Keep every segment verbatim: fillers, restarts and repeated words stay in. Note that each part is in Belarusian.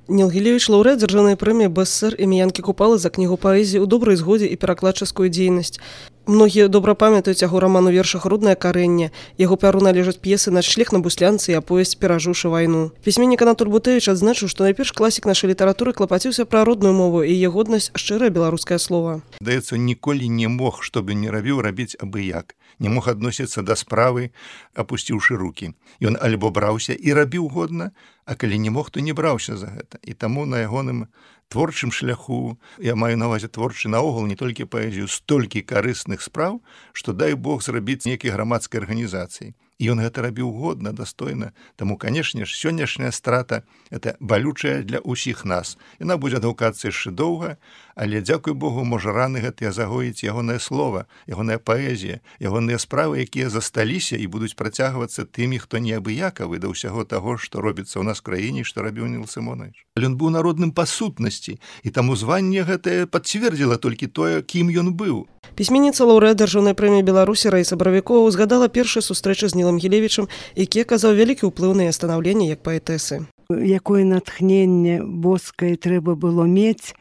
Ніл Гілевіч – лаўрэат дзяржаўнай прэміі БСР імя Янкі Купалы за кнігу паэзіі ў добрай згодзе і перакладчыцкую дзейнасць. Многія добра памятаюць яго раман у вершах «Руднае карэнне». Яго пяру належаць п'есы «Начлег на буслянцы» і аповесць «Перажыўшы вайну». Пісьменнік Анатоль Бутэвіч адзначыў, што найперш класік нашай літаратуры клапаціўся пра родную мову і яе годнасць шчырае беларускае слова. Здаецца, ніколі не мог, што бы не рабіў, рабіць абы-як. Не мог адносіцца да справы, апусціўшы рукі. Ён альбо браўся і рабіў годна, а калі не мог, то не браўся за гэта. І таму на ягоным творчым шляху, я маю на ўвазе творчы наогул, не толькі паэзію, столькі карысных спраў, што дай Бог зрабіць нейкай грамадскай арганізацыі. І ён гэта рабіў годна, дастойна. Таму, канешне ж, сённяшняя страта – это балючая для ўсіх нас. Яна будзе адгукацца яшчэ доўга, але, дзякуй Богу, можа раны гэтыя загоіць ягонае слова, ягоная паэзія, ягоныя справы, якія засталіся і будуць працягвацца тымі, хто неабыякавы да ўсяго таго, што робіцца ў нас в краіне, што рабіў Ніл Сымонович. Але ён быў народным па сутнасці, і таму званне гэтае пацвердзіла толькі тое, кім ён быў. Пісьменніца лаўрэат дзяржаўнай прэміі Беларусі Раіса Баравікова узгадала першыя сустрэчы з Нілам Гілевічам, які аказаў вялікі ўплыў на яе станаўленне як паэтэсы. Якое натхненне боскае трэба было мець,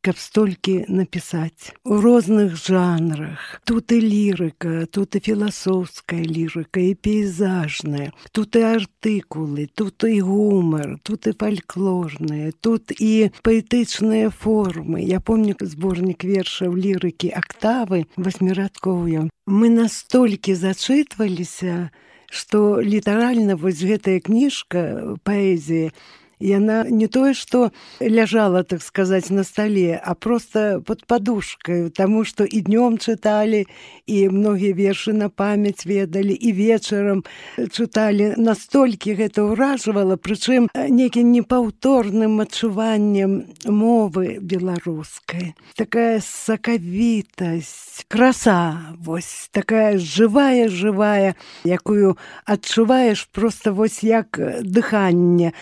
каб столькі напісаць. У розных жанрах. Тут і лірыка, тут і філасофская лірыка, і пейзажная, тут і артыкулы, тут і гумар, тут і фальклорныя, тут і паэтычныя формы. Я помню зборнік вершаў лірыкі «Актавы» васьмірадковыя. Мы настолькі зачытваліся, што літаральна вось гэтая кніжка паэзіі, яна не тое, што ляжала, так сказаць, на стале, а проста пад падушкаю, таму што і днём чыталі, і многія вершы на памяць ведалі, і вечарам чыталі. Настолькі гэта ўражвала, прычым нейкім непаўторным адчуваннем мовы беларускай. Такая сакавітасць, краса, вось, такая жывая-жывая, якую адчуваеш проста вось як дыханне.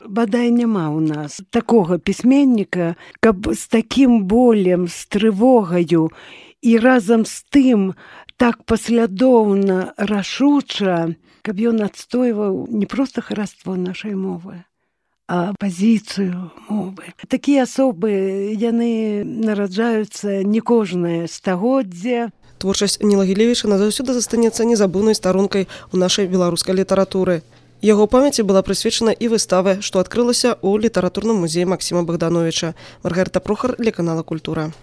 Бадай няма ў нас такога пісьменніка, каб з такім болем, з трывогаю і разам з тым так паслядоўна, рашуча, каб ён адстойваў не проста хараство нашай мовы, а пазіцыю мовы. Такія асобы, яны нараджаюцца не кожнае стагоддзе. Творчасць Ніла Гілевіча назаўсёды застанецца незабыўнай старонкай у нашай беларускай літаратуры. Яго памяці была прысвечана і выстава, што адкрылася ў літаратурным музеі Максіма Богдановича. Маргарыта Прохар для канала «Культура».